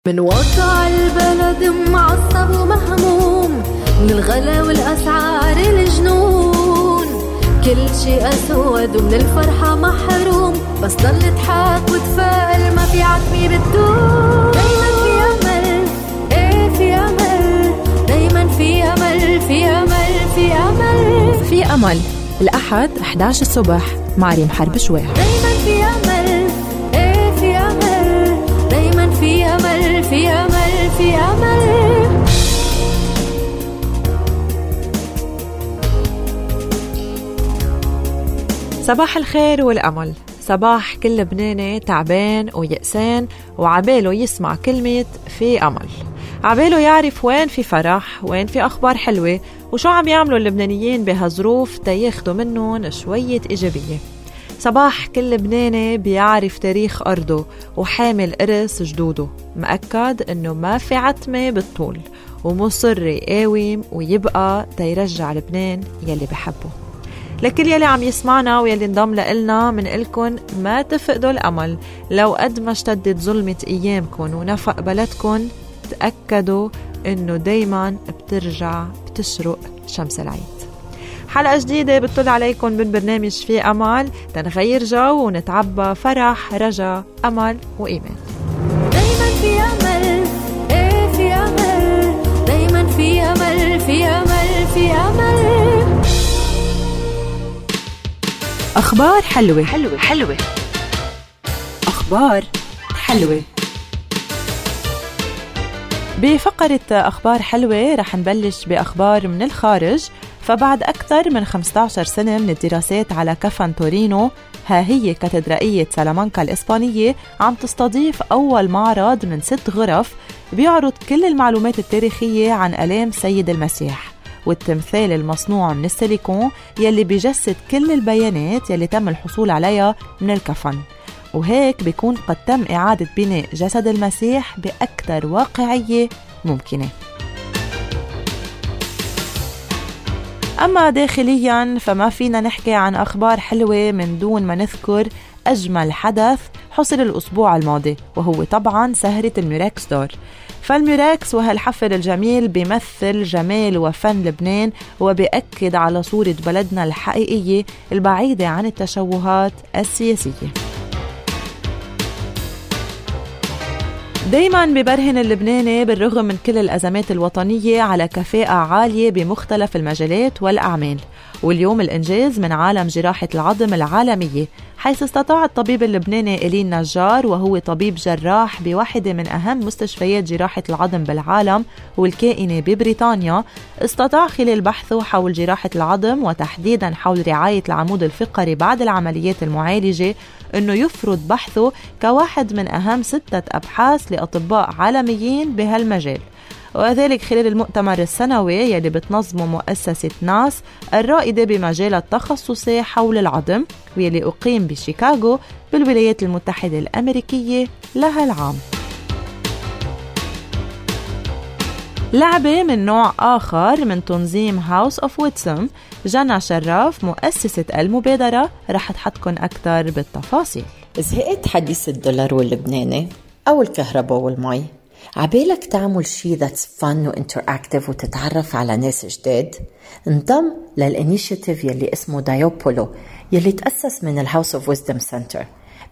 من واقع البلد معصب ومهموم، من الغلا والأسعار الجنون، كل شي أسود ومن الفرحة محروم، بس ضل تحاك وتفائل ما في عتمي بتدوم. دايما في أمل، ايه في أمل، دايما في أمل، في أمل، في أمل، في أمل. الأحد 11 الصبح مع ريم حرب شويح. دايما في أمل، ايه في أمل، دايما في أمل، في أمل، في أمل. صباح الخير والأمل. صباح كل لبناني تعبان ويأسان وعباله يسمع كلمة في أمل، عباله يعرف وين في فرح، وين في أخبار حلوة، وشو عم يعملوا اللبنانيين بهالظروف تياخدوا منهم شوية إيجابية. صباح كل لبناني بيعرف تاريخ أرضه وحامل إرث جدوده، مأكد إنه ما في عتمة بالطول، ومصر يقاوم ويبقى تيرجع لبنان يلي بحبه. لكل يلي عم يسمعنا ويلي انضم لإلنا منقلكن ما تفقدوا الأمل. لو قد ما اشتدت ظلمة أيامكن ونفق بلدكن، تأكدوا إنه دايما بتشرق شمس العيد. حلقة جديدة بتطل عليكم من برنامج في أمل، تنغير جو ونتعبى فرح، رجا، أمل وإيمان. دايما في أمل، ايه في أمل، دايما في أمل، في أمل، في أمل. أخبار حلوة حلوة حلوة، أخبار حلوة. بفقرة أخبار حلوة رح نبلش بأخبار من الخارج. فبعد أكثر من 15 سنة من الدراسات على كفن تورينو، ها هي كاتدرائية سالامانكا الإسبانية عم تستضيف أول معرض من 6 غرف بيعرض كل المعلومات التاريخية عن آلام سيد المسيح، والتمثال المصنوع من السيليكون يلي بيجسد كل البيانات يلي تم الحصول عليها من الكفن، وهيك بيكون قد تم إعادة بناء جسد المسيح بأكثر واقعية ممكنة. أما داخلياً فما فينا نحكي عن أخبار حلوة من دون ما نذكر أجمل حدث حصل الأسبوع الماضي، وهو طبعاً سهرة الميراكس دور. فالميراكس وهالحفل الجميل بيمثل جمال وفن لبنان، وبيأكد على صورة بلدنا الحقيقية البعيدة عن التشوهات السياسية. دايماً ببرهن اللبناني بالرغم من كل الأزمات الوطنية على كفاءة عالية بمختلف المجالات والأعمال. واليوم الإنجاز من عالم جراحة العظم العالمية، حيث استطاع الطبيب اللبناني إلين نجار، وهو طبيب جراح بواحدة من أهم مستشفيات جراحة العظم بالعالم والكائنة ببريطانيا، استطاع خلال بحثه حول جراحة العظم وتحديداً حول رعاية العمود الفقري بعد العمليات المعالجة، أنه يفرض بحثه كواحد من أهم 6 أبحاث لأطباء عالميين بهالمجال، وذلك خلال المؤتمر السنوي يلي بتنظمه مؤسسة ناس الرائدة بمجال التخصصي حول العظم، ويلي أقيم بشيكاغو بالولايات المتحدة الأمريكية لهالعام. لعبة من نوع آخر من تنظيم هاوس أوف ويتسم، جنى شراف مؤسسة المبادرة رح تحطكن أكتر بالتفاصيل. زهقت حديث الدولار واللبناني أو الكهرباء والمي؟ عبالك تعمل شي that's fun وinteractive وتتعرف على ناس جداد؟ انضم للإنيشيتيف يلي اسمه دايوبولو يلي تأسس من الهاوس اوف ويزدم سنتر.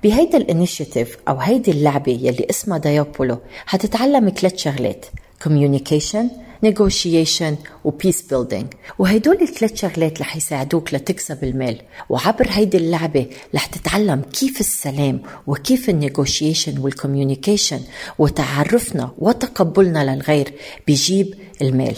بهيدا الإنيشيتيف أو هيدي اللعبة يلي اسمها دايوبولو هتتعلم 3 شغلات: communication, negotiation و peace building، وهيدول 3 شغلات رح يساعدوك لتكسب المال. وعبر هيدي اللعبة رح تتعلم كيف السلام وكيف النيغوشيشن والكوميونيكيشن وتعرفنا وتقبلنا للغير بيجيب المال.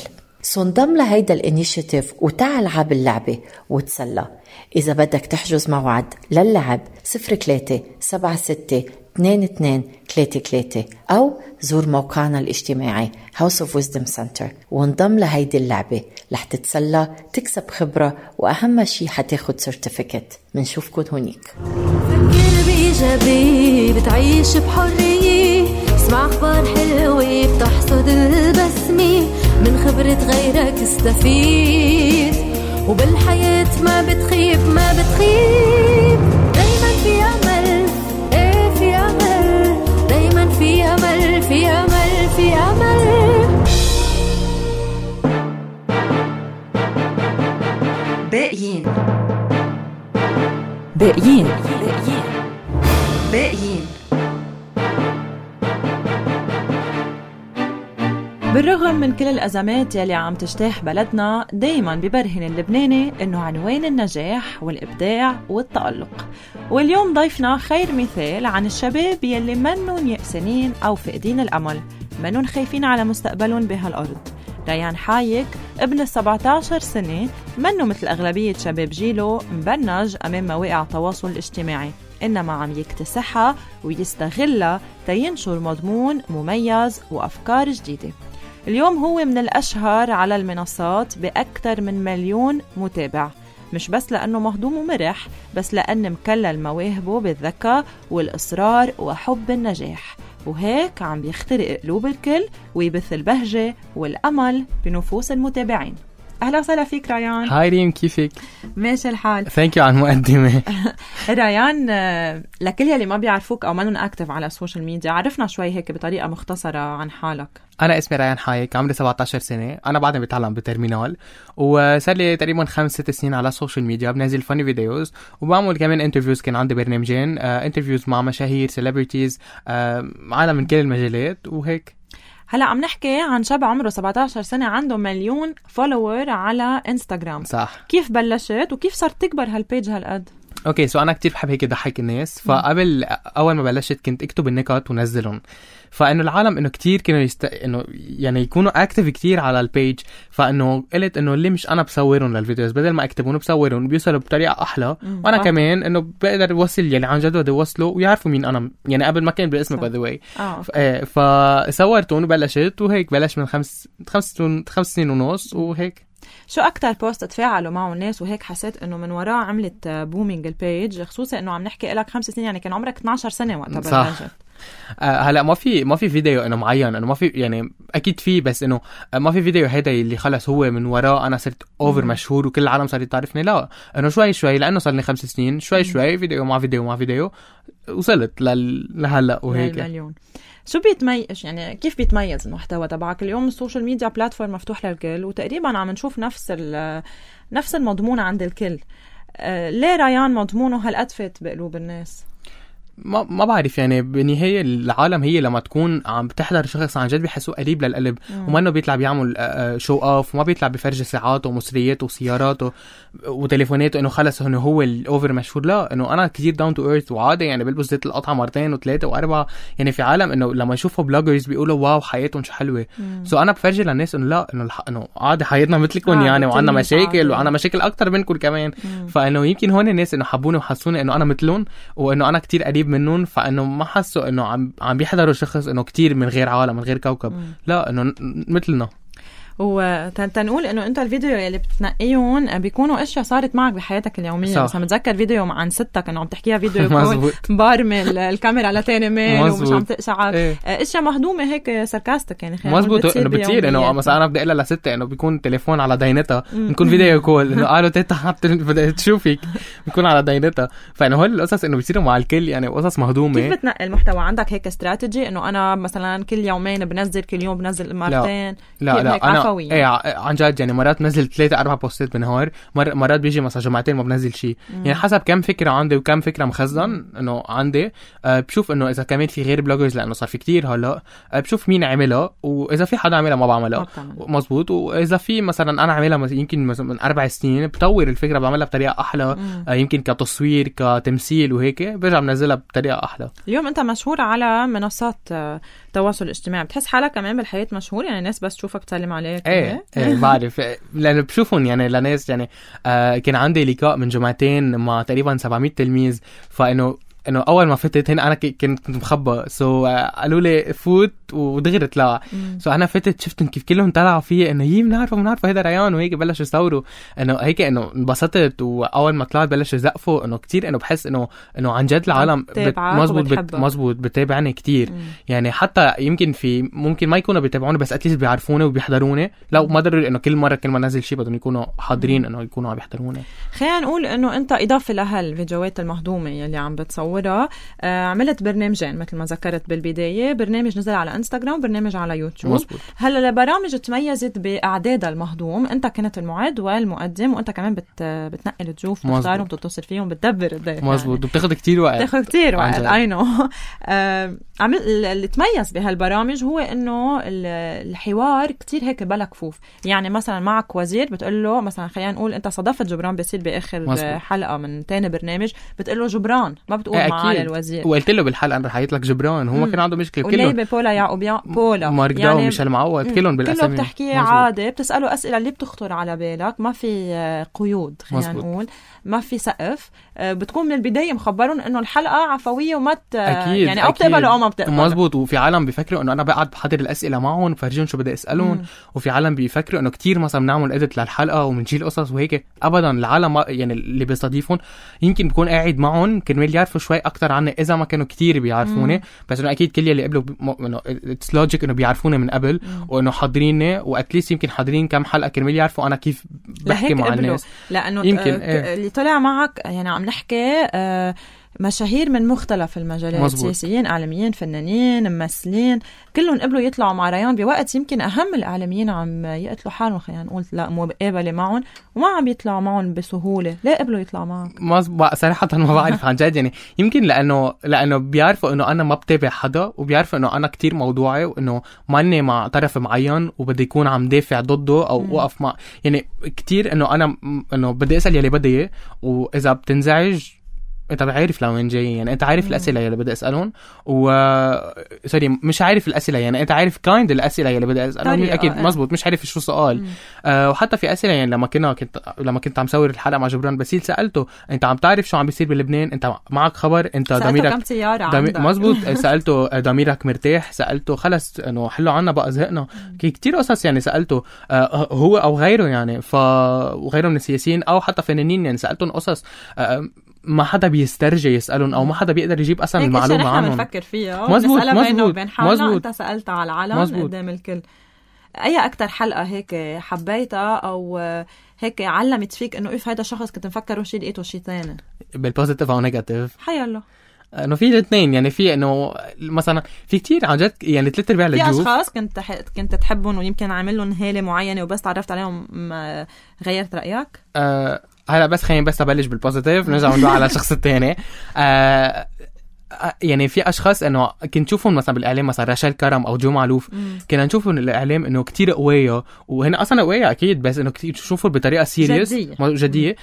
انضم لهيدا الانيشيتيف وتعال عب اللعبة وتسلى. إذا بدك تحجز موعد للعب 03-76-22-33 أو زور موقعنا الاجتماعي House of Wisdom Center وانضم لهيدي اللعبة. رح تتسلى، تكسب خبرة، وأهم شي حتاخد سيرتيفيكت. منشوفكن هونيك. فكر بإيجابي، بتعيش بحرية، اسمع أخبار حلوة، بتحصد البسمة، من خبرة غيرك استفيد، وبالحياة ما بتخيب ما بتخيب. دايما في أمل، ايه في أمل، دايما في أمل، في أمل. باقيين باقيين باقيين. بالرغم من كل الأزمات يلي عم تجتاح بلدنا، دايماً ببرهن اللبناني إنه عنوان النجاح والإبداع والتألق. واليوم ضيفنا خير مثال عن الشباب يلي منن يأسنين أو فقدين الأمل، منن خايفين على مستقبلهم بهالأرض. ريان حايك ابن 17 سنة منه مثل أغلبية شباب جيله مبرنج أمام مواقع التواصل الاجتماعي، إنما عم يكتسحها ويستغلها تينشر مضمون مميز وأفكار جديدة. اليوم هو من الأشهر على المنصات بأكثر من 1,000,000 متابع، مش بس لأنه مهضوم ومرح، بس لأن مكلل مواهبه بالذكاء والإصرار وحب النجاح، وهيك عم بيخترق قلوب الكل ويبث البهجة والأمل بنفوس المتابعين. أهلا وسهلا فيك ريان. هاي ريم، كيفك؟ ماشي الحال. ثانك يو على المقدمة. ريان، لكل يلي ما بيعرفوك أو منن أكتف على السوشيال ميديا، عرفنا شوي هيك بطريقة مختصرة عن حالك. أنا اسمي ريان حايك، عمري 17 سنة، أنا بعدني بتعلم بترمينال، وصار لي تقريبا 5-6 سنين على السوشيال ميديا، بنزل فاني فيديوز وبعمل كمان انترفيوز. كان عندي برنامجين انترفيوز مع مشاهير سيلبرتيز، عالم من كل المجالات وهيك. هلا عم نحكي عن شاب عمره 17 سنة عنده 1,000,000 فولوور على انستغرام. صح. كيف بلشت وكيف صارت تكبر هالبيج هالقد؟ اوكي، سو انا كتير بحب هيك ضحك الناس، فقبل اول ما بلشت كنت اكتب النكت ونزلهم، فانه العالم انه كتير كانوا انه يعني يكونوا اكتف كتير على البيج، فانه قلت انه اللي مش انا بصورهم للفيديوز، بدل ما اكتبهم بصورهم بيوصلوا بطريقه احلى، وانا كمان انه بقدر اوصل يعني عن جد بدي اوصله ويعرفوا مين انا، يعني قبل ما كان باسمي باي ذا واي. فصورتهم وبلشت وهيك بلش من 5 سنين ونص وهيك. شو أكتر بوست تفاعلوا معه الناس وهيك حسيت إنه من وراء عملت بومينج البيج، خصوصا إنه عم نحكي لك 5 سنين، يعني كان عمرك 12 سنة وقتها بلشت. هلا ما في فيديو انه معين، انه ما في، يعني اكيد في، بس انه ما في فيديو هيدا اللي خلص هو من وراه انا صرت اوفر مشهور وكل العالم صارت تعرفني. لا، انه شوي لانه صار لي 5 سنين، شوي فيديو مع فيديو وصلت لهلا وهيك. المليون. شو بيتميز، يعني كيف بيتميز المحتوى تبعك اليوم؟ السوشيال ميديا بلاتفورم مفتوح للكل وتقريبا عم نشوف نفس المضمون عند الكل. ليه ريان مضمونه هالقد فات بقلوب الناس؟ ما بعرف، يعني بالنهاية العالم هي لما تكون عم بتحضر شخص عن جد بيحسوه قريب للقلب، وما انه بيطلع بيعمل شو اوف، وما بيطلع بفرجي ساعاته ومصرياته وسياراته وتليفوناته انه خلص انه هو الاوفر مشهور. لا، انه انا كتير داون تو ايرث وعادي، يعني بلبس زيت القطعة 2 و3 و4. يعني في عالم انه لما يشوفوا بلوجرز بيقولوا واو حياتهم شو حلوة. انا بفرجي للناس انه لا، انه عادي حياتنا مثلكم، يعني وعنا مشاكل وعنا مشاكل اكتر منكم كمان. فانه يمكن هون الناس انه حبوني وحسوني انه انا مثلهم وانه انا كتير قريب منهم، فانه ما حسوا انه عم بيحضروا شخص انه كتير من غير عالم من غير كوكب. لا، انه مثلنا. وتنقول انه انت الفيديو اللي بتنقيهم بيكونوا اشياء صارت معك بحياتك اليوميه. مثلا متذكر فيديو عن ستك انه عم تحكيها فيديو كول بارمل الكاميرا لتاني ميل ومش عم تقشعك. اشياء مهضومه هيك ساركاستك، يعني مزبوط. انه بتصير انه مثلا انا بدي اقول لها لستة انه بيكون تليفون على دينتها، بنكون فيديو كول انه قالوا تيتا بدي تشوفك، بيكون على دينتها. فانه هول القصص انه بيصيروا مع الكل، يعني قصص مهضومه. كيف بتنقي المحتوى؟ عندك هيك استراتيجي انه انا مثلا كل يومين بنزل، كل يوم بنزل مرتين؟ لا انا ايه عن جد، يعني مرات بنزل 3-4 بوستات بالنهار، مرات بيجي مثلا جمعتين ما بنزل شيء. يعني حسب كم فكره عندي وكم فكره مخزن انه عندي. بشوف انه اذا كمان في غير بلوجرز، لانه صار في كتير هلا، بشوف مين عملها، واذا في حدا عملها ما بعملها. مزبوط. واذا في مثلا انا عملها يمكن مثلا من 4 سنين، بطور الفكره بعملها بطريقه احلى، يمكن كتصوير كتمثيل وهيك، برجع بنزلها بطريقه احلى. اليوم انت مشهور على منصات تواصل اجتماعي، بتحس حالك كمان بالحياه مشهور؟ يعني الناس بس تشوفك تسلم عليك؟ ايه بعرف، لأنه بشوفهم يعني لناس. يعني كان عندي لقاء من جمعتين مع تقريبا 700 تلميذ، فإنه اول ما فتت هنا انا كنت مخبى، قالوا لي فوت ودغري طلع. انا فتت شفتهم كيف كلهم طلعوا فيه انه يي بنعرفه هذا ريان، وهيك بلشوا يصوروا انه هيك، انه انبسطت. واول ما طلعت بلشوا يزقفوا انه كتير، انه بحس انه عن جد العالم مزبوط بتابعني كتير. يعني حتى يمكن ممكن ما يكونوا بيتابعوني، بس اتليست بيعرفوني وبيحضروني. لا، ما ضروري انه كل ما نزل شيء بدهم يكونوا حاضرين انه يكونوا عم يحضروني. خلينا نقول انه انت اضافه لهالفيديوهات المهضومه اللي عم بتصور صورها. عملت برنامجين مثل ما ذكرت بالبداية، برنامج نزل على انستغرام وبرنامج على يوتيوب. مزبوط. هلا البرامج تميزت بأعدادها المهضوم، انت كنت المعد والمقدم، وانت كمان بتنقل الضيوف، بتختارهم، بتتصل فيهم، بتدبر الضيف. مزبوط يعني. وبتاخد كتير وقت. بتاخد كتير وقت. اينو. اللي تميز بهالبرامج هو انه الحوار كتير هيك بلا كفوف. يعني مثلا معك وزير بتقول له مثلا خلينا نقول انت صدفت جبران باسيل باخر مزبوط. حلقه من تاني برنامج، بتقول له جبران، ما بتقول معاه الوزير. وقلت له بالحلقه انا رح لك جبران، هو ما كان عنده مشكله كله. بولا يعقوبيان بولا ماركدا يعني ومش المعود كلهم بالاسامي، كله بتحكي عادي، بتساله اسئله اللي بتخطر على بالك، ما في قيود خلينا نقول، ما في سقف. بتكون من البدايه مخبرون انه الحلقه عفويه وما يعني او بتقبلوا او ما بتقبلوا. مزبوط. وفي عالم بيفكروا انه انا بقعد بحضر الاسئله معهم فرجيهم شو بدي اسالهم، وفي عالم بيفكروا انه كتير مثلا بنعمل اديت للحلقه وبنشيل قصص وهيك. ابدا، العالم يعني اللي بيستضيفون يمكن بكون قاعد معهم كرمال يعرفوا شوي اكتر عني اذا ما كانوا كتير بيعرفوني، بس انه اكيد كل اللي قبلوا انه اتس لوجيك انه بيعرفوني من قبل، وانه حاضريني واتليست يمكن حاضرين كم حلقه كرمال يعرفوا انا كيف بحكي مع الناس. لانه يمكن اللي طلع معك يعني عم نحكي مشاهير من مختلف المجالات، سياسيين، اعلاميين، فنانين، ممثلين، كلهم قبلوا يطلعوا مع ريان بوقت يمكن اهم الاعلاميين عم يقتلوا حالهم، خلينا نقول لا مقابله معهم وما عم يطلعوا معهم بسهوله. ليه قبلوا يطلعوا معك؟ صراحه ما بعرف عن جد، يعني يمكن لانه بيعرفوا انه انا ما بتابع حدا، وبيعرفوا انه انا كتير موضوعي، وانه ماني مع طرف معين وبدي يكون عم دافع ضده او وقف مع، يعني كتير انه بدي اسال يلي بدي اياه، واذا بتنزعج انت بعرف لوين جاي، يعني انت عارف الاسئله يلي بدي اسالهم، سوري مش عارف الاسئله، يعني انت عارف كايند الاسئله يلي بدي اسالهم اكيد. مزبوط، مش عارف شو سؤال. وحتى في اسئله يعني لما كنت عم صور الحلقه مع جبران باسيل سالته انت عم تعرف شو عم بيصير بلبنان، انت معك خبر، انت ضميرك مزبوط. سالته ضميرك مرتاح، سالته خلص انه حلوا عنا بقى زهقنا، كتير قصص يعني سالته هو او غيره، يعني وغيره من السياسيين او حتى فنانين، يعني سالتهم قصص ما حدا بيسترجي يسألون أو ما حدا بيقدر يجيب أصلا المعلومة عنهم. بنفكر فيها نسألها بينه وبين حالنا. أنت سألتها على العلن قدام الكل. أي أكتر حلقة هيك حبيتها أو هيك علمت فيك إنه إيه هيدا شخص كنت مفكره شيء لقيته شيد تاني؟ بالبوزيتيف أو نيجاتيف؟ حي الله. انه في الاثنين، يعني في انه مثلا في كتير عن جد يعني 3/4 الجوف في اشخاص كنت تحبهم ويمكن عامل لهم هاله معينه وبس تعرفت عليهم غيرت رايك. هلا بس خلينا بس ابلش بالبوزيتيف نرجع ندور على الشخص الثاني. يعني في اشخاص انه كنت نشوفهم مثلا بالاعلام، مثلا راشيل كرم او جو معلوف، كنا نشوفهم بالاعلام انه كتير قويه، وهن اصلا قويه اكيد، بس انه كتير تشوفوا بطريقه سيريس جديه.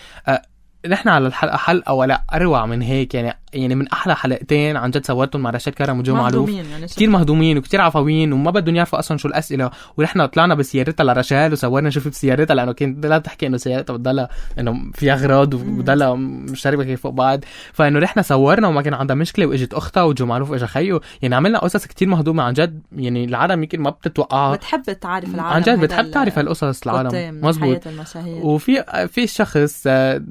نحن على الحلقه حلقه ولا اروع من هيك، يعني من احلى حلقتين عن جد سويتهم مع راشيل كرم وجو معلوف، يعني كتير مهضومين وكتير عفويين وما بدهم يعرفوا اصلا شو الاسئله. ونحن طلعنا بسيارتها لراشيل وصورنا نشوف بسيارتها، لانه كانت لا تحكي انه سيارتها بتضلها انه في اغراض وبتضلها مشتركه كيف فوق بعض، فانه رحنا صورنا وما كان عندها مشكله، واجت اختها وجو معلوف اجى خيو، يعني عملنا قصص كتير مهضومه عن جد. يعني العالم يمكن ما بتتوقعها، بتحب تعرف العالم عن جد، بتحب تعرف هالقصص العالم. مزبوط. وفي شخص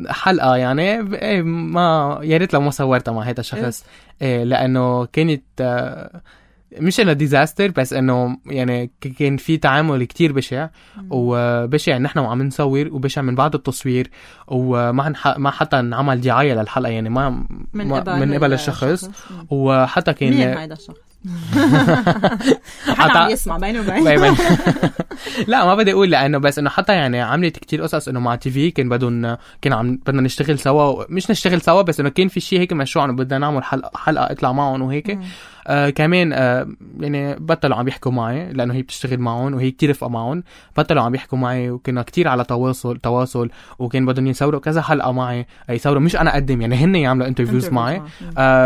حلقه يعني ما يا ريت لو ما صورتها مع هذا الشخص، لانه كانت مش انه ديزاستر، بس انه يعني كان في تعامل كتير بشع، وبشع نحن وعم نصور، وبشع من بعد التصوير، وما حتى نعمل دعايه للحلقه، يعني ما من قبل الشخص. وحتى كان مين هيدا الشخص؟ حتى عم يسمع بينه وبين لا ما بدي اقول، لانه بس انه حتى يعني عملت كتير قصص انه مع تي في كان بدنا نشتغل سوا، مش نشتغل سوا بس انه كان في شيء هيك مشروع انه بدنا نعمل حلقه اطلع معهم وهيك. كمان يعني بطلوا عم يحكوا معي لانه هي بتشتغل معهم وهي كتير رفقه معهم، بطلوا عم يحكوا معي، وكنا كتير على تواصل وكان بدهم يصوروا كذا حلقه معي، يصوروا مش انا اقدم، يعني هن يعملوا انترفيوز معي.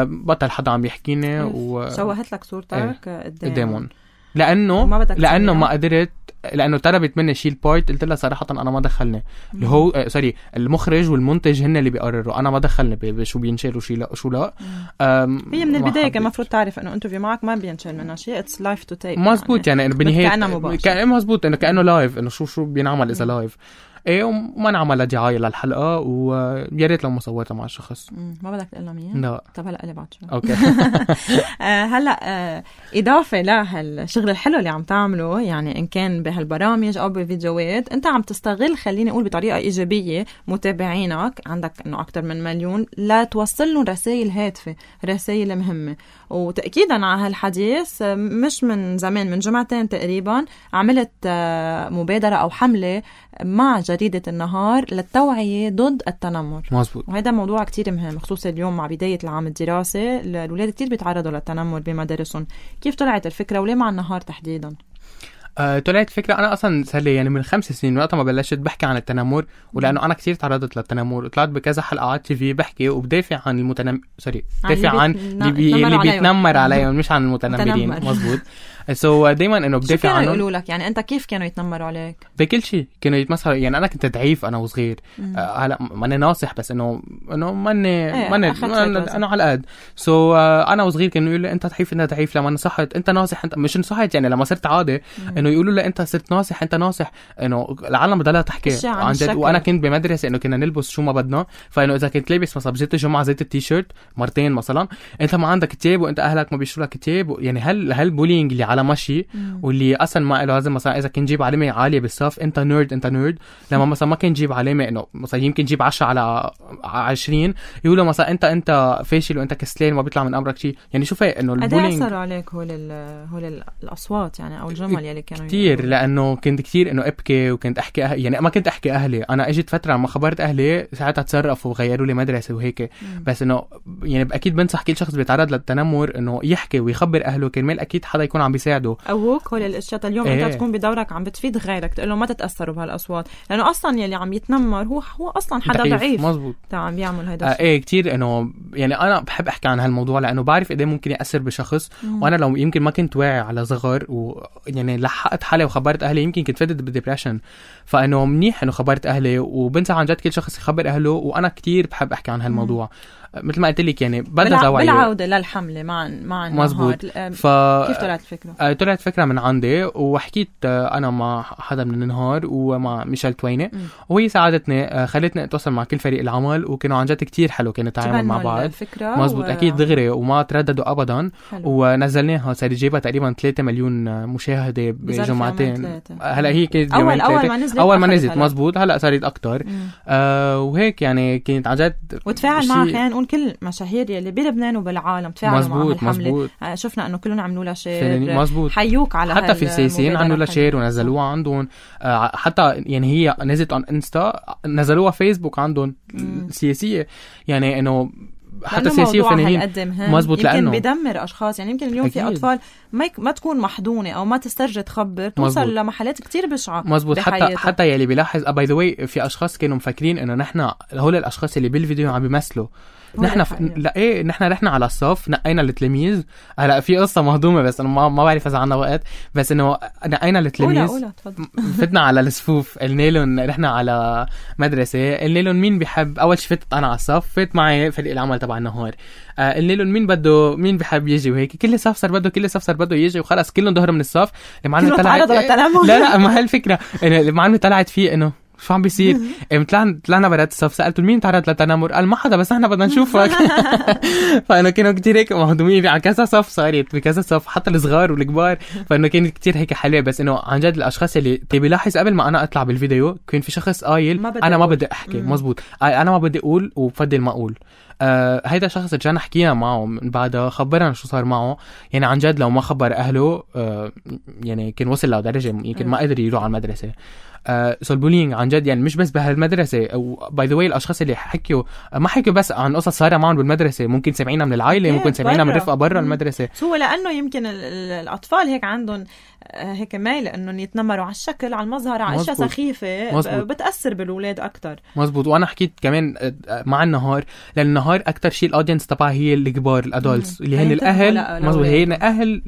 بطل حدا عم يحكيني وشوهت لك صورتك قدامهم، لانه ما قدرت، لانه طلبت مني شيل بارت، قلت لها صراحه انا ما دخلني، اللي هو سوري المخرج والمنتج هن اللي بيقرروا، انا ما دخلني بشو بينشر وشو لا. هي من البدايه كان المفروض تعرف انه انترفيو معك ما بينشر منها شيء، اتس لايف تو تيب. مزبوط، يعني بالنهايه كانه مزبوط، انه كانه لايف، انه شو بينعمل اذا لايف. ايه وما نعمل دعاية للحلقة ويا ريت لو ما صورتها مع الشخص. ما بدك تقول له مين؟ لا. طب هلا قلي بعد شوي. اوكي. هلا اضافه لهالشغل الحلو اللي عم تعمله، يعني ان كان بهالبرامج او بفيديوهات، انت عم تستغل خليني اقول بطريقه ايجابيه متابعينك، عندك انه اكثر من 1,000,000 لا توصل لهم رسائل هادفه، رسائل مهمه. وتاكيدا على هالحديث مش من زمان، من جمعتين تقريبا عملت مبادره او حمله مع جريده النهار للتوعيه ضد التنمر. مزبوط. وهذا موضوع كتير مهم، خصوصا اليوم مع بدايه العام الدراسي الأولاد كتير بيتعرضوا للتنمر بمدارسهم. كيف طلعت الفكرة وليه مع النهار تحديدا؟ طلعت فكرة أنا أصلا صار لي يعني من 5 سنين وقت ما بلشت بحكي عن التنمر، ولأنه أنا كتير تعرضت للتنمر وطلعت بكذا حلقة على تي في بحكي وبدافع عن بدافع عن اللي بيتنمر عليهم مش عن المتنمرين. مزبوط. دايما انه بدافع عنهم. شو كانوا يقولوا لك؟ يعني انت كيف كانوا يتنمروا عليك؟ بكل شيء كانوا يتمسخروا. يعني انا كنت ضعيف انا وصغير، هلا ماني ناصح بس انه ماني انا على القد. انا وصغير كانوا يقولوا لي انت ضعيف لما نصحت، انت ناصح، انت مش نصحت. يعني لما صرت عادي انه يقولوا لي انت صرت ناصح، انت ناصح، انه العالم بضلها تحكي عن جد. وانا كنت بمدرسه انه كنا نلبس شو ما بدنا، فانه اذا كنت لابس مثلا بجيت الجمعه زيت التيشيرت مرتين مثلا، انت ما عندك كتاب وانت اهلك ما بيشتروا لك كتاب. يعني هالبولينج اللي على مشي واللي اصلا ما له لازم. مثلا اذا كنت جيب علامه عاليه بالصف انت نيرد، لما مثلا ما كنت جيب علامه انه مثلا يمكن جيب 10 على 20 يقولوا مثلا انت فاشل وانت كسلان ما بيطلع من امرك شيء. يعني شوفي انه البولينج اثر عليك هول الاصوات يعني او الجمل يلي كانوا كتير، لانه كنت كتير انه ابكي وكنت احكي يعني ما كنت احكي اهلي. انا اجت فتره لما خبرت اهلي ساعتها تصرفوا وغيروا لي مدرسه وهيك. بس انه يعني اكيد بنصح كل شخص بيتعرض للتنمر انه يحكي ويخبر اهله، كرمال اكيد حدا يكون عم بيساعده. اوك هول الاشياء اليوم انت تكون بدورك عم بتفيد غيرك، تقول له ما تتاثروا بهالاصوات، لانه اصلا يلي عم يتنمر هو اصلا حدا ضعيف. مزبوط. عم بيعمل هيدا الشيء. ايه كتير انه يعني انا بحب احكي عن هالموضوع لانه بعرف قد ايه ممكن ياثر بشخص. وانا لو يمكن ما كنت واعي على صغر ويعني لحقت حالي وخبرت اهلي يمكن كنت فدت بالديبريشن. فانه منيح انه خبرت اهلي، وبنصح عن جد كل شخص يخبر اهله. وانا كتير بحب احكي عن هالموضوع مثل ما قلت لك. يعني بدنا توعيه بالعوده للحمله مع النهار. كيف طلعت الفكره؟ طلعت فكره من عندي وحكيت انا مع حدا من النهار ومع ميشيل تويني، وهي ساعدتني خلتني اتواصل مع كل فريق العمل، وكانوا عن جد كتير حلو كانوا يتعاملوا مع بعض. مزبوط. اكيد دغري وما ترددوا ابدا. ونزلناها صار جيبها تقريبا 3 مليون مشاهده بجمعتين. هلا هي كانت اول ما نزلت مزبوط. هلا صارت اكتر. وهيك يعني كانت عن جد وتفاعل معها. خلينا نقول كل مشاهير يلي بلبنان وبالعالم تفاعلوا مع هالحمله. شفنا انه كلهم عملوا لها شير. حيوك على حتى في السياسيين عملوا لها شير ونزلوها عندهم. حتى يعني هي نزلت عن انستا، نزلوها فيسبوك عندهم سياسيه. يعني انه حتى سياسية وفنانين. مزبوط. يمكن بيدمر أشخاص. يعني يمكن اليوم أكيد. في أطفال ما تكون محضونة أو ما تسترجع تخبر، توصل لمحلات كتير بشعة. مزبوط. حتى يلي بيلاحظ باي ذا واي في أشخاص كانوا مفكرين إنه نحن هول الأشخاص اللي بالفيديو عم بيمثلوا. نحن نحن رحنا على الصف نقينا التلاميذ. هلا في قصه مهضومه بس انا ما بعرف اذا عندنا وقت، بس انه نقينا التلاميذ فتنا على الصفوف، قلنا لهم رحنا على مدرسه، قلنا لهم مين بيحب. اول شيء فتت انا على الصف، فات معي فريق العمل تبع النهار، قلنا لهم مين بحب يجي وهيك. كل صف صار بده يجي وخلص كلهم ظهروا من الصف. المعلمه طلعت لا ما هالفكره انه المعلمه طلعت فيه انه شو عم بيصير. طلعنا برات الصف، سألته مين تعرض للتنمر؟ قال ما حدا بس احنا بدنا نشوفك. فانه كانوا كتير هيك مهضومين على كذا صف، صارت بكذا صف حتى الصغار والكبار. فانه كانت كتير هيك حلوه. بس انه عن جد الاشخاص اللي بيلاحظ قبل ما انا اطلع بالفيديو كان في شخص قايل انا ما بدي احكي. مزبوط. انا ما بدي اقول وبفضل ما اقول. هيدا شخص رجعنا حكينا معه من بعدها، خبرنا شو صار معه. يعني عن جد لو ما خبر اهله يعني كان وصل لدرجه يمكن ما قدر يروح على المدرسه. البولينج عن جد يعني مش بس بهالمدرسه. او باي ذا واي الاشخاص اللي حكوا ما حكوا بس عن قصص صايره معهم بالمدرسه، ممكن سمعينا من العائله، ممكن سمعينا من رفقه برا المدرسه. هو لانه يمكن الاطفال هيك عندهم هيك مايل انهم يتنمروا على الشكل، على المظهر، على اشياء سخيفه. بتاثر بالاولاد اكثر. مزبوط. وانا حكيت كمان مع النهار، لان النهار بينهار اكتر شيء الاودينس تبعها هي الكبار الادولتس اللي هن الاهل. مزبوط، هي اهل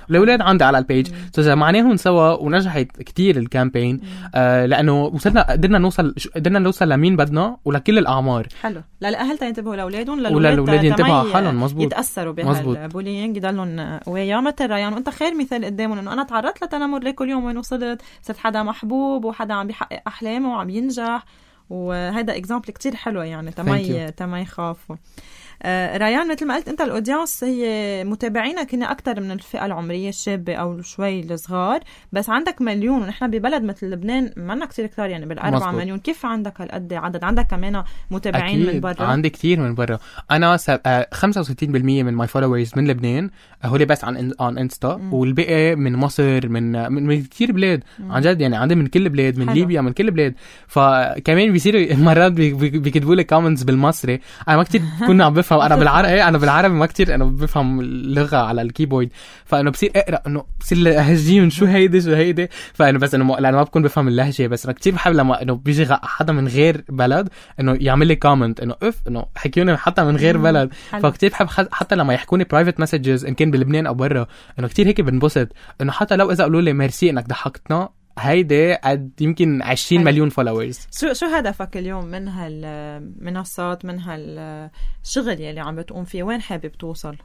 الاولاد عندي على البيج. جمعناهم سوا ونجحت كتير الكامبين لانه قدرنا نوصل لمين بدنا ولكل الاعمار. حلو، للاهل تنتبهوا لاولادهم وللولاد ينتبهوا حالهم. مزبوط، يتاثروا بهالبولينج، يضلوا قوية. مثل ريان وانت خير مثال قدامهم انه انا تعرضت لتنمر ليه كل يوم وين وصلت، صرت حدا محبوب وحدا عم بيحقق احلامه وعم ينجح، وهذا اكزامبل كتير حلو يعني تما يخافوا. ريان مثل ما قلت انت الاودينس هي متابعينك هن اكثر من الفئه العمريه الشابه او شوي الصغار، بس عندك مليون ونحن ببلد مثل لبنان ما كتير كتار يعني بال4 مليون. كيف عندك هالقد عدد؟ عندك كمان متابعين من برا؟ عندي كتير من برا. انا 65% من ماي فولورز من لبنان هولي بس عن انستا، والباقي من مصر من كتير بلاد عن جد يعني عندي من كل بلاد، من ليبيا، من كل بلاد. فكمان بيصيروا مرات بيكتبوا لي كومنتس بالمصري، انا ما كتير كنا عم بفهم. انا بالعربي ما كتير انا بفهم اللغه على الكيبورد، فانه بصير اقرا انه بصير لهجين شو هيدي فانا بس انه لانه ما بكون بفهم اللهجه. بس انا كتير بحب لما انه بيجي حدا من غير بلد انه يعمل لي كومنت انه انه حكيوني حتى من غير بلد. فكتير بحب حتى لما يحكوني برايفت مسجز ان كان بلبنان او برا، انه كتير هيك بنبسط انه حتى لو اذا قالوا لي ميرسي انك ضحكتنا، هيدي قد يمكن 20 مليون فولورز. شو هدفك اليوم من هالمنصات، من هالشغل يلي عم بتقوم فيه؟ وين حابب توصل؟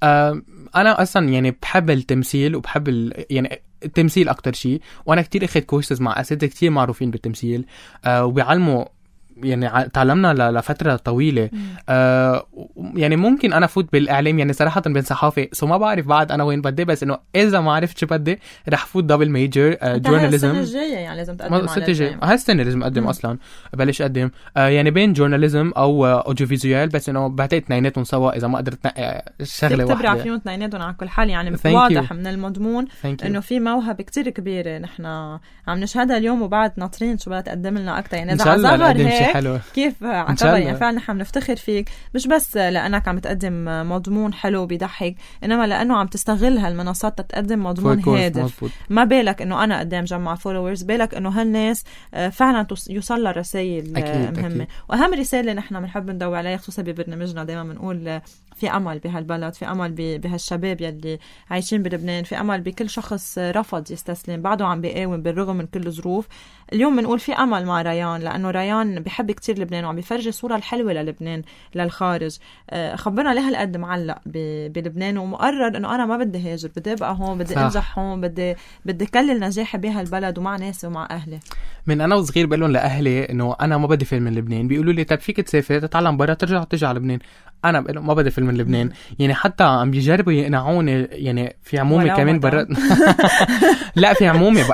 انا اصلا يعني بحب التمثيل وبحب يعني التمثيل اكتر شيء، وانا كتير اخذت كورسز مع اساتذه كتير معروفين بالتمثيل وبيعلموا يعني تعلمنا لفترة طويلة. يعني ممكن أنا فوت بالإعلام يعني صراحة بالصحافة، ما بعرف بعد أنا وين بدي، بس إنه إذا ما عرفت شو بدي رح فوت دبل ميجر جورناليزم. السنة الجاية يعني لازم تقدم على الجاي. هالسنة لازم أقدم أصلا، بلش أقدم يعني بين جورناليزم أو أوديو فيزيوال، بس إنه بعتقد اثنيناتهم سوا إذا ما قدرت شغلة واحدة. تبرع فيهم اثنيناتهم على كل حال يعني. واضح من المضمون إنه في موهبة كتير كبيرة نحن عم نشهدها اليوم، وبعد ناطرين شو بدها تقدم لنا أكتر يعني. إذا عزبر هيك كيف عكبر يعني فعلا نحن بنفتخر فيك، مش بس لأنك عم تقدم مضمون حلو بيضحك، إنما لأنه عم تستغل هالمنصات تقدم مضمون هادف. ما بالك إنه أنا قدام جمع فولورز، بالك إنه هالناس فعلا يوصل لها رسائل مهمة. وأهم رسالة نحن بنحب ندور عليها خصوصا ببرنامجنا، دايما بنقول في أمل بهالبلد، في أمل بهالشباب يلي عايشين بلبنان، في أمل بكل شخص رفض يستسلم بعده عم بيقاوم بالرغم من كل ظروف. اليوم بنقول في أمل مع ريان، لأنه ريان بيحب كتير لبنان وعم بيفرجي صورة الحلوة للبنان للخارج. خبرنا ليه هالقد معلق بلبنان ومقرر إنه أنا ما بدي هاجر، بدي أبقى هون، بدي أنجح هون، بدي كلل نجاحي بهالبلد ومع ناسي ومع أهلي. من أنا وصغير بقولهم لأهلي إنه أنا ما بدي فيلم من لبنان، بيقولوا لي طب فيك تسافر تتعلم برا ترجع على لبنان. أنا بقول ما بدي فيلم من لبنان يعني. حتى عم بيجربوا يقنعوني يعني، في عمومي كمان برا لا في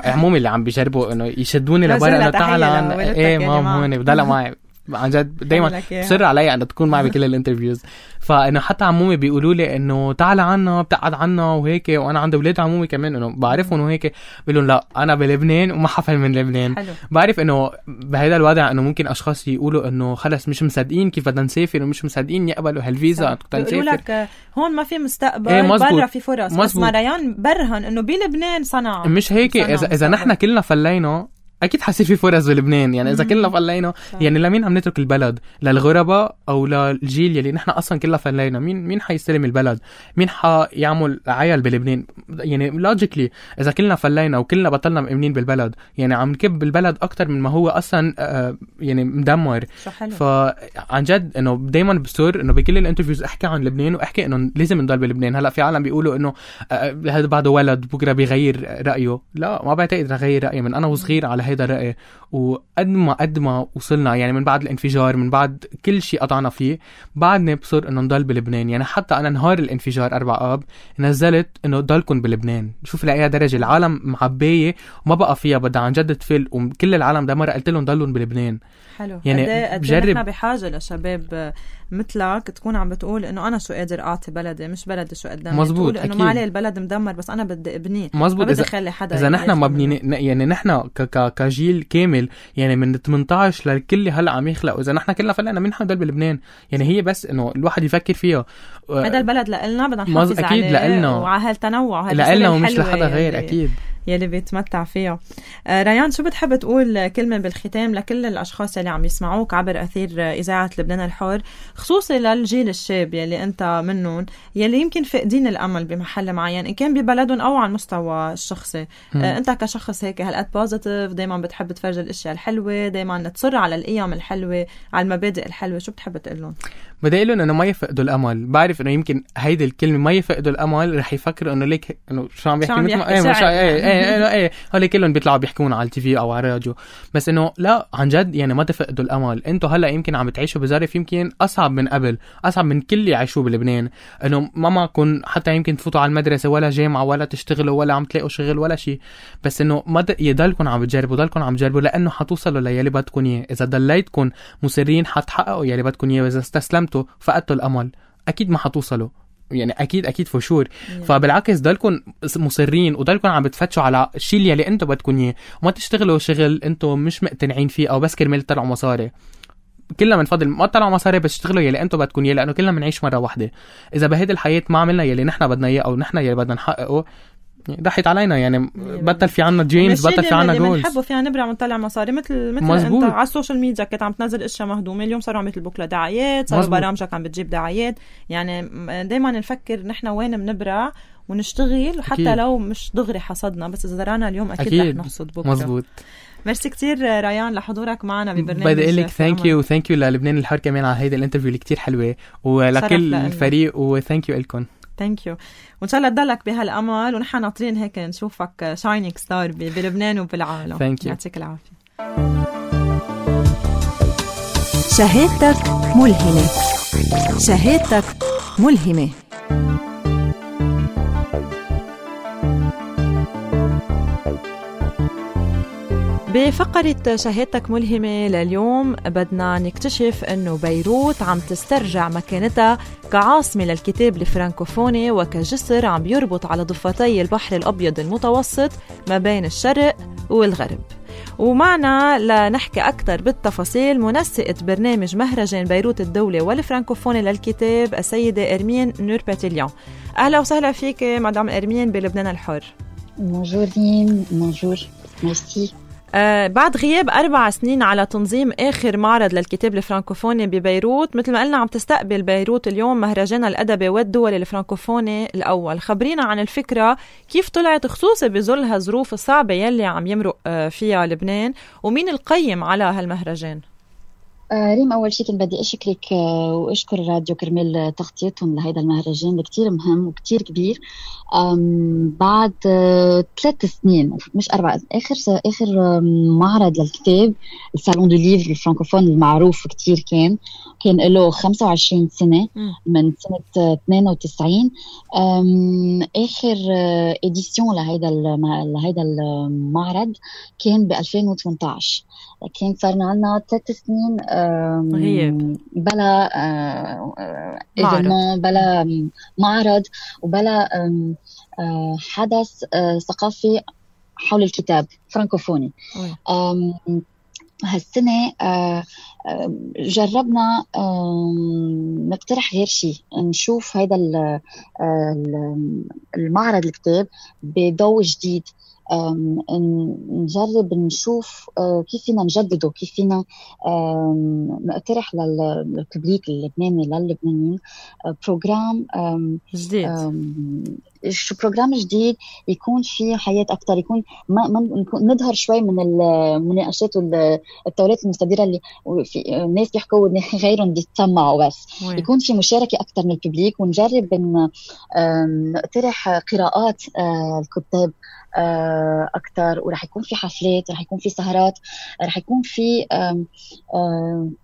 عمومي اللي عم بيجربوا إنه يشدوني لبرا إنه تعال إيه مام هون بضل معي عن جد دايما بصر علي أن تكون معي بكل الانترفيوز. فإنه حتى عمومي بيقولوا لي إنه تعال عنا بتقعد عنا وهيك، وأنا عندي أولاد عمومي كمان إنه بعرفهم وهيك، بيقولون لا أنا بلبنان وما حفل من لبنان. حلو. بعرف إنه بهذا الوضع إنه ممكن أشخاص يقولوا إنه خلص مش مصدقين كيف بدنا نسافر ومش مصدقين يقبلوا هالفيزا تنسافر، بيقولوا لك هون ما في مستقبل، برا في فرص. بس ما ريان برهن إنه بلبنان صنع مش هيك. إذا نحن كلنا فلينا اكيد حسي في فرص بلبنان يعني. اذا كلنا فلينا يعني لمين عم نترك البلد؟ للغرباء او للجيل يلي نحن اصلا كلنا فلينا؟ مين حيستلم البلد؟ مين حيعمل عيال بلبنان؟ يعني لوجيكلي اذا كلنا فلينا وكلنا بطلنا مؤمنين بالبلد يعني عم نكب البلد اكتر من ما هو اصلا يعني مدمر. فعن جد انه دايما بصير انه بكل الانترفيوز احكي عن لبنان واحكي انه لازم نضل بلبنان. هلا في عالم بيقولوا انه هذا بعده ولد بكره بيغير رايه. لا ما بعتقد رح غير رايي. من انا وصغير على هيدا الرأي، وقد ما وصلنا يعني من بعد الانفجار، من بعد كل شيء قطعنا فيه، بعدنا بصير انه نضل بلبنان. يعني حتى انا نهار الانفجار 4 آب نزلت انه ضلكن بلبنان. شوف لأي درجة العالم معبية وما بقى فيها، بدها عن جد تفل، وكل العالم ده مرة قلت لهم ضلون بلبنان. حلو. يعني بجرب. نحن بحاجة لشباب مثلك تكون عم بتقول انه انا شو قادر اعطي بلدي، مش بلدي شو قدامي. مزبوط. انه ما عليه البلد مدمر بس انا بدي ابنيه. مزبوط. بدي اخلي حدا اذا نحن ما بني يعني نحن كجيل كامل يعني من 18 للكل هلا عم يخلق، واذا نحن كلنا فلقنا مين حنضل بلبنان يعني. هي بس انه الواحد يفكر فيها. هذا البلد لنا بدنا نحافظ عليه. اكيد لنا وعلى هالتنوع لنا ومش لحدا غير. اكيد يلي بيتمتع فيها. ريان، شو بتحب تقول كلمة بالختام لكل الأشخاص يلي عم يسمعوك عبر أثير إذاعة لبنان الحر، خصوصي للجيل الشاب يلي أنت منهم، يلي يمكن فقدين الأمل بمحل معين إن كان ببلدهم أو على المستوى الشخصي؟ أنت كشخص هيك هالقد بوزيتيف، دايما بتحب تفرج الأشياء الحلوة، دايما تصر على القيم الحلوة، على المبادئ الحلوة، شو بتحب تقول لهم؟ بدي أقول لهم إنه ما يفقدوا الأمل. بعرف إنه يمكن هيدي الكلمة ما يفقدوا الأمل رح يفكروا إنه ليك إنه شو عم بيحكي هولي كلهم بيطلعوا بيحكون على التي في أو على الراديو، بس إنه لا، عن جد يعني ما تفقدوا الأمل. أنتوا هلا يمكن عم بتعيشوا بظرف يمكن أصعب من قبل، أصعب من كل اللي يعيشوه بلبنان، إنه ما معكم حتى يمكن تفوتوا على المدرسة ولا جامعة ولا تشتغلوا ولا عم تلاقوا شغل ولا شيء، بس إنه ما يضلكم عم بتجربوا، ضلكم عم تجربوا، لأنه حتوصلوا ليلي بدكم إياه. إذا ضليتكم مصرين حتحققوا يلي بدكم إياه، وإذا استسلمتوا فقدتوا الأمل أكيد ما حتوصلوا، يعني أكيد فشور. فبالعكس ضلكم مصرين وضلكم عم بتفتشوا على الشيء اللي أنتوا بدكم إياه، وما تشتغلوا شغل أنتوا مش مقتنعين فيه أو بس كرمال تطلعوا مصاري. كلنا بنفضل ما تطلعوا مصاري بس تشتغلوا يلي أنتوا بدكم إياه، لأنه كلنا بنعيش مرة واحدة. إذا بهيدي الحياة ما عملنا يلي نحنا بدنا إياه أو نحنا يلي بدنا نحققه، ضحيت علينا، يعني بطل في عنا دريمز، بطل في عنا جولز. بنحبوا فيها نبرع ونطلع مصاري مثل انت على السوشيال ميديا كنت عم تنزل اشياء مهضومه، اليوم صاروا عم يطلبوك لدعايات، صاروا برامجك عم بتجيب دعايات. يعني دايما نفكر نحن وين بنبرع ونشتغل، حتى لو مش دغري حصدنا، بس اذا زرعنا اليوم اكيد رح نحصد بكره. مزبوط. ميرسي كتير ريان لحضورك معنا ببرنامج. بدي اقول لك ثانك يو للبنان الحر كمان على هيدا الانترفيو اللي كتير حلوه، ولكل الفريق، وثانك يو لكم. ثانك يو، وان شاء الله تضلك بهالامل، ونحن ناطرين هيك نشوفك شاينينج ستار بلبنان وبالعالم. يعطيك العافيه. شهادتك ملهمه، شهادتك ملهمه. بفقرة شهادتك ملهمة لليوم بدنا نكتشف أنه بيروت عم تسترجع مكانتها كعاصمة للكتاب الفرانكوفوني وكجسر عم بيربط على ضفتي البحر الأبيض المتوسط ما بين الشرق والغرب. ومعنا لنحكي أكثر بالتفاصيل منسقة برنامج مهرجان بيروت الدولي والفرانكوفوني للكتاب السيدة إرمين نورباتيليان. أهلا وسهلا فيك مدام إرمين بلبنان الحر. بونجور ريم. بونجور، ميرسي. بعد غياب 4 سنين على تنظيم آخر معرض للكتاب الفرانكوفوني ببيروت، مثل ما قلنا عم تستقبل بيروت اليوم مهرجان الأدبي والدولي الفرانكوفوني الأول. خبرينا عن الفكرة، كيف طلعت خصوصا بظل هالظروف الصعبة يلي عم يمرق فيها لبنان، ومين القيم على هالمهرجان؟ ريم، أول شيء كنت بدي أشكرك وأشكر الراديو كرمال تغطيتهم لهذا المهرجان اللي كتير مهم وكتير كبير. بعد 3 سنين مش 4، آخر معرض للكتاب الصالون دو ليفر الفرانكوفون المعروف كتير كان له 25 سنة من سنة 92. آخر إديسيون لهيدا المعرض كان ب 2018. كان صارنا عنا 3 سنين بلا بلا معرض وبلا حدث ثقافي حول الكتاب فرانكوفوني. هالسنة جربنا نقترح غير شيء، نشوف هيدا المعرض الكتاب بضوء جديد، نجرب نشوف كيف فينا نجدده، كيف فينا نقترح للببليك اللبناني للبنانيين بروجرام جديد، بروجرام جديد يكون فيه حياة أكتر، يكون نظهر شوي من المناقشات والتورات المستديرة اللي الناس بيحكوا غيرهم بيتسمعوا، بس يكون في مشاركة أكتر من الببليك، ونجرب نقترح قراءات الكتاب أكتر، ورح يكون في حفلات، رح يكون في سهرات، رح يكون في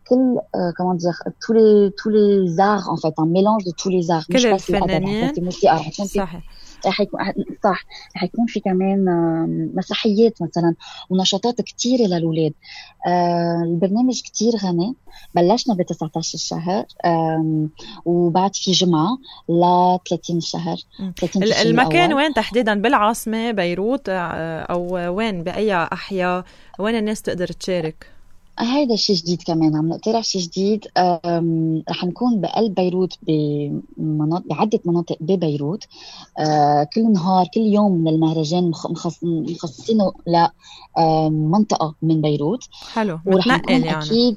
كل comment dire tous les arts en fait, un mélange de tous les arts، مش بس الفنانين، رح يكون في كمان مسرحيات مثلا ونشاطات كتيرة للأولاد. البرنامج كتير غني، بلشنا ب19 الشهر وبعد في جمعة ل 30 الشهر. المكان وين تحديدا؟ بالعاصمة بيروت أو وين بأي أحياء وين الناس تقدر تشارك؟ هيدا الشيء جديد كمان، عم نقترح شيء جديد. رح نكون بقلب بيروت بعدة مناطق ببيروت. كل نهار كل يوم من المهرجان مخصصينه لمنطقة من بيروت. حلو، ورح متنقل نكون يعني أكيد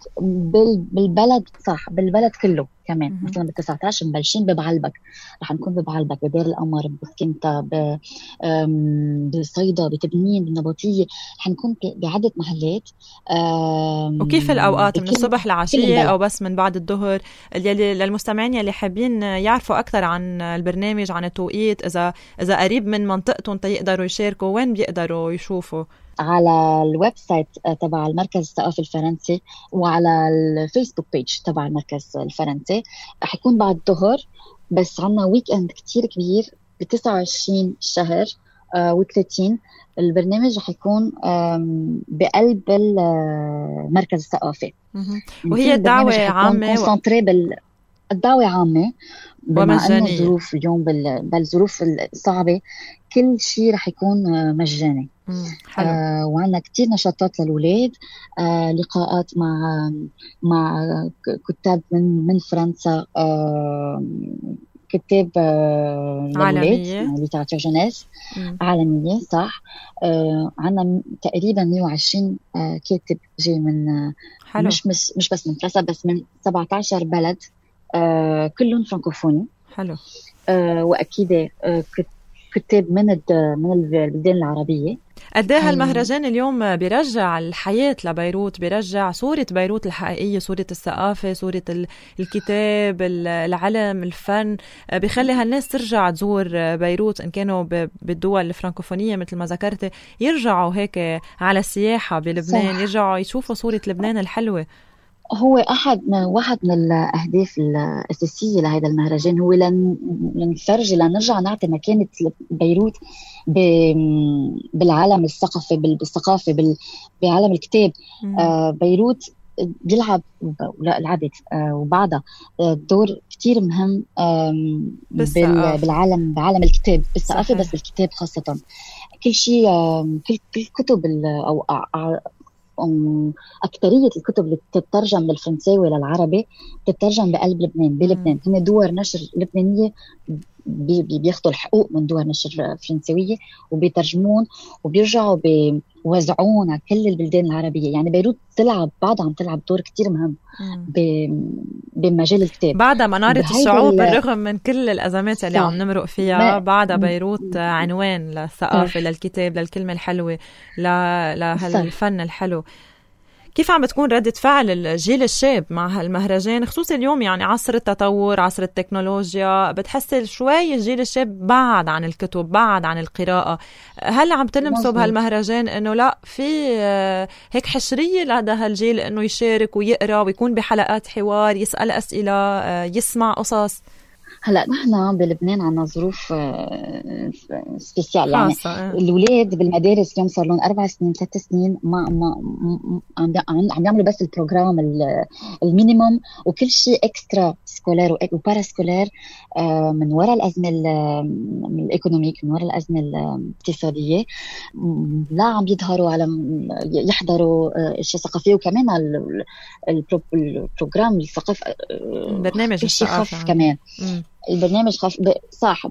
بالبلد، صح، بالبلد كله كمان. مثلا ب19 مبلشين ببعلبك، رح نكون ببعلبك، بدير القمر، بسكنتا، بصيدا، بتبنين، بالنبطية. رح نكون بعدة محلات. وكيف الأوقات؟ من الصبح لعشية أو بس من بعد الظهر؟ يلي للمستمعين يلي حابين يعرفوا أكثر عن البرنامج، عن التوقيت، إذا قريب من منطقتهم يقدروا يشاركوا، وين بيقدروا يشوفوا؟ على الويب سايت تبع المركز الثقافي الفرنسي، وعلى الفيسبوك بيج تبع المركز الفرنسي. رح يكون بعد الظهر، بس عنا ويك اند كتير كبير ب29 شهر و30. البرنامج رح يكون بقلب المركز الثقافي. وهي الدعوة عامة الدعوة عامة، بما أنه الظروف اليوم بالظروف الصعبة كل شيء رح يكون مجاني. وعندنا كتير نشاطات للولاد، لقاءات مع كتاب من فرنسا، كتاب للولاد، ليتراتور جونيس عالمية، صح. عندنا تقريبا 120 كاتب جاي من مش بس من فرنسا، بس من 17 بلد، كلهم فرانكوفوني. حلو. وأكيد كتاب من البلدان العربية. قديه المهرجان اليوم بيرجع الحياة لبيروت، بيرجع صورة بيروت الحقيقية، صورة الثقافة، صورة الكتاب، العلم، الفن، بيخلي هالناس ترجع تزور بيروت إن كانوا بالدول الفرانكوفونية مثل ما ذكرت، يرجعوا هيك على السياحة بلبنان، يرجعوا يشوفوا صورة لبنان الحلوة. هو واحد من الأهداف الأساسية لهذا المهرجان هو لنرجع نعطي مكانة بيروت بالعالم الثقافي، بعالم الكتاب. بيروت لعبت وبعدها دور كتير مهم بعالم الكتاب، بالثقافة، بس بالكتاب خاصة. كل شيء، كل كتب أو أكثرية الكتب اللي تترجم من الفرنساوي للعربي تترجم بقلب لبنان، بلبنان. هن دور نشر لبنانية بياخدوا الحقوق من دور نشر فرنسوية وبيترجمون وبيرجعوا بيوزعون على كل البلدان العربية. يعني بيروت بعدها عم تلعب دور كتير مهم بمجال الكتاب. بعدها منارة الشعوب بالرغم من كل الأزمات اللي عم نمرق فيها، بعدها بيروت عنوان للثقافة، للكتاب، للكلمة الحلوة، لهالفن الحلو. كيف عم بتكون ردة فعل الجيل الشاب مع هالمهرجان، خصوصا اليوم يعني عصر التطور، عصر التكنولوجيا؟ بتحس شوي الجيل الشاب بعد عن الكتب، بعد عن القراءة. هل عم تلمسوا بهالمهرجان انه لا في هيك حشرية لهذا هالجيل انه يشارك ويقرأ ويكون بحلقات حوار، يسأل أسئلة، يسمع قصص؟ هلا نحن بلبنان عنا ظروف سبيسيال، يعني الولاد بالمدارس اليوم صار لهم 4 سنين 3 سنين ما عم يعملوا بس البروجرام المينيموم، وكل شيء اكسترا سكولار وبارا سكولار من وراء الأزمة الإيكونوميك، من وراء الأزمة الاقتصادية، لا عم يظهروا على يحضروا اشياء ثقافية. وكمان البروجرام الثقافي، برنامج الثقافة كمان البرنامج صح.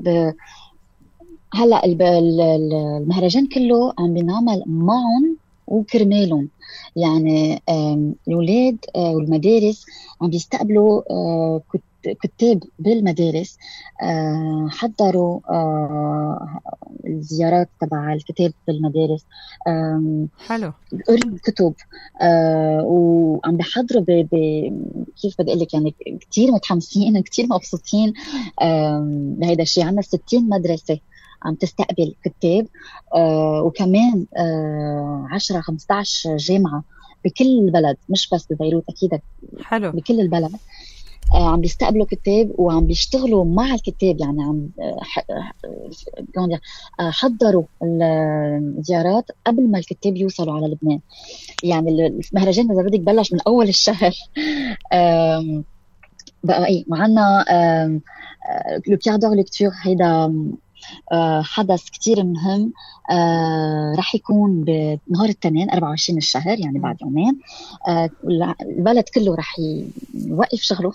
هلا المهرجان كله عم بينعمل معهم وكرمالهم. يعني الأولاد والمدارس عم بيستقبلوا كتاب بالمدارس، حضروا الزيارات تبع الكتاب بالمدارس، حلو، قروا كتب، وعم بيحضروا كيف بدي أقول لك، يعني كتير متحمسين، كتير مبسوطين بهيدا الشيء. عنا 60 مدرسة عم تستقبل كتاب، وكمان 10-15 جامعة بكل البلد، مش بس ببيروت، أكيد حلو، بكل البلد عم بيستقبلوا كتاب وعم بيشتغلوا مع الكتاب. يعني عم حضروا الزيارات قبل ما الكتاب يوصلوا على لبنان. يعني المهرجان إذا بدك بلش من أول الشهر. بقى معنا لو كيار دور ليكتور، هيدا حدث كتير مهم رح يكون بنهار الاثنين 24 الشهر، يعني بعد يومين. البلد كله رح يوقف شغله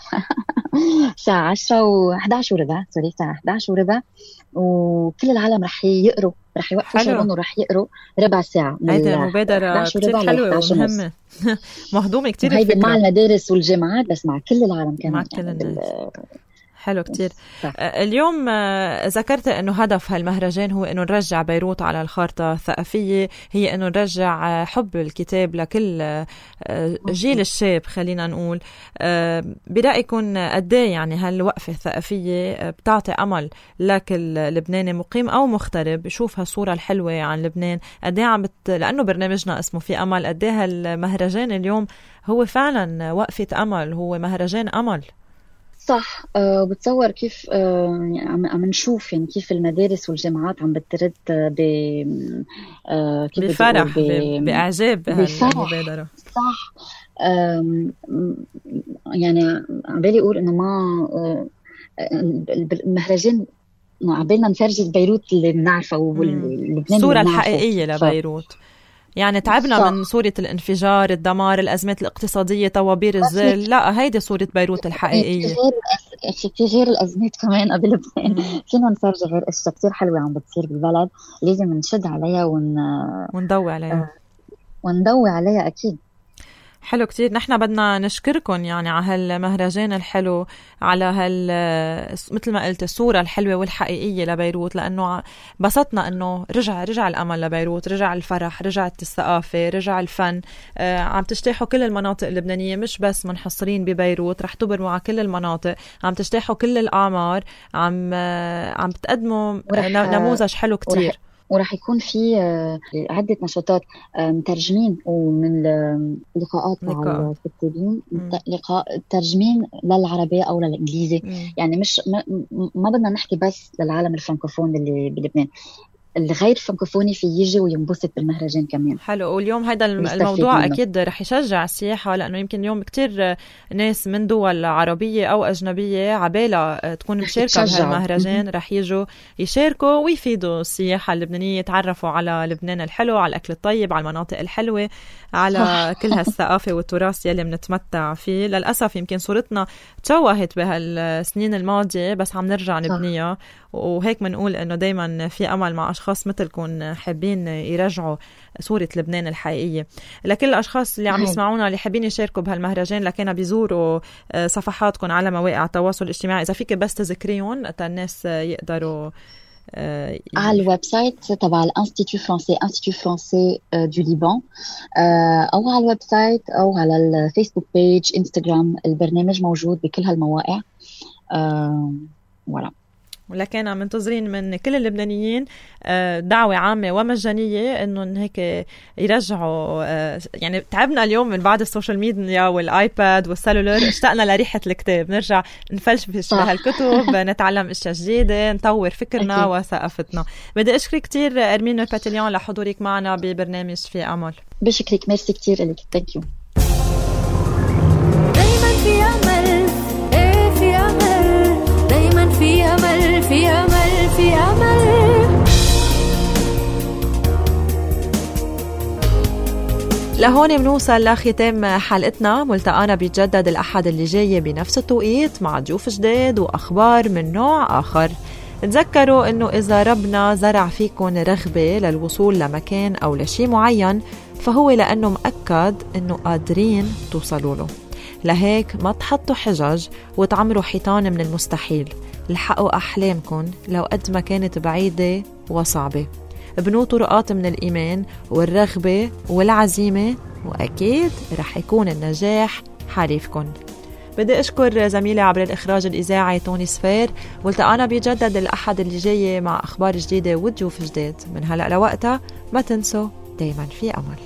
الساعة 10 و11 وربع، سوري الساعة 11 وربع، وكل العالم رح يقروا، رح يوقفوا شغلهم ورح يقروا ربع ساعة. هيدا مبادرة كتير حلوة ومهمة مهضومة كتير هيدي مع المدارس والجامعات، بس مع كل العالم كمان، مع كل الناس. حلو كتير. اليوم ذكرت أنه هدف هالمهرجان هو أنه نرجع بيروت على الخارطة الثقافية، هي أنه نرجع حب الكتاب لكل جيل الشاب خلينا نقول. برأيكم قديه يعني هالوقفة الثقافية بتعطي أمل لكل لبناني مقيم أو مغترب يشوف هالصورة الحلوة عن لبنان؟ قديه لأنه برنامجنا اسمه في أمل، قديه هالمهرجان اليوم هو فعلا وقفة أمل، هو مهرجان أمل؟ صح. بتصور كيف عم نشوف يعني كيف المدارس والجامعات عم بترد بفرح بإعجاب بهالمبادرة. صح. يعني عم بالي أقول إنه ما المهرجان عبالنا نفرجي بيروت اللي بنعرفه واللبنان الصورة الحقيقية لبيروت. يعني تعبنا صح. من صورة الانفجار، الدمار، الأزمات الاقتصادية، طوابير الزل، لا هيدي صورة بيروت الحقيقية. في غير الأزمات كمان قبل لبنان فينا نفرج غير أشياء كتير حلوة عم بتصير بالبلد، لازم نشد عليها ونضوي عليها أكيد. حلو كتير. نحن بدنا نشكركم يعني على هالمهرجان الحلو، على مثل ما قلت الصورة الحلوة والحقيقية لبيروت، لأنه بسطنا أنه رجع الأمل لبيروت، رجع الفرح، رجعت الثقافة، رجع الفن. عم تجتاحوا كل المناطق اللبنانية، مش بس منحصرين ببيروت، رح تبرموا على كل المناطق، عم تجتاحوا كل الأعمار، عم بتقدموا نموذج حلو كتير. ورح يكون في عدة نشاطات مترجمين ومن لقاءات مع الكاتبين، لقاء ترجمين للعربية أو للإنجليزي. يعني مش ما بدنا نحكي بس للعالم الفرنكوفون اللي بلبنان، الغير فرنكوفوني في يجي وينبسط بالمهرجان كمان. حلو. واليوم هذا الموضوع أكيد رح يشجع السياحة، لأنه يمكن اليوم كتير ناس من دول عربية أو أجنبية عبالة تكون مشاركة بهالمهرجان رح يجوا يشاركوا ويفيدوا السياحة اللبنانية، يتعرفوا على لبنان الحلو، على الأكل الطيب، على المناطق الحلوة، على كل هالثقافة والتراث يلي بنتمتع فيه. للأسف يمكن صورتنا تشوهت بهالسنين الماضية، بس عم نرجع نبنيها، وهيك منقول إنه دايما في أمل مع أشخاص مثلكم حابين يرجعوا صورة لبنان الحقيقية. لكل الأشخاص اللي عم يسمعونا اللي حابين يشاركوا بهالمهرجان، لكن بيزوروا صفحاتكم على مواقع التواصل الاجتماعي، إذا فيك بس تذكريهم حتى الناس يقدروا على الويب سايت تبع الانستيتو فرانسي، انستيتو فرانسي دو ليبان، او على الويب سايت او على الفيسبوك بيج، انستغرام. البرنامج موجود بكل هالمواقع. ولا ولكن عم منتظرين من كل اللبنانيين دعوة عامة ومجانية إنه هيك يرجعوا. يعني تعبنا اليوم من بعد السوشيال ميديا والآيباد والسلولر، اشتقنا لريحة الكتاب، نرجع نفلش بهالكتب، نتعلم اشياء جديدة، نطور فكرنا وثقافتنا. بدي أشكرك كتير أرمين باتليون لحضورك معنا ببرنامج في أمل. بشكرك، ميرسي كتير لك. ثانك يو. دايما في أمل، في أمل، دايما في أمل، في أمل، في أمل. لهون منوصل لختام حلقتنا. ملتقانا بيتجدد الأحد اللي جاي بنفس التوقيت مع ضيوف جداد وأخبار من نوع آخر. تذكروا إنه إذا ربنا زرع فيكم رغبة للوصول لمكان أو لشي معين، فهو لأنه مأكد إنه قادرين توصلوا له. لهيك ما تحطوا حجج وتعمروا حيطان من المستحيل. لحقوا أحلامكم لو قد ما كانت بعيدة وصعبة. ابنوا طرقات من الإيمان والرغبة والعزيمة، وأكيد رح يكون النجاح حليفكم. بدي أشكر زميلي عبر الإخراج الإذاعي توني سفير. والتقانا بيجدد الأحد اللي جاي مع أخبار جديدة وضيوف جديد. من هلأ لوقتها ما تنسوا دايما في أمل.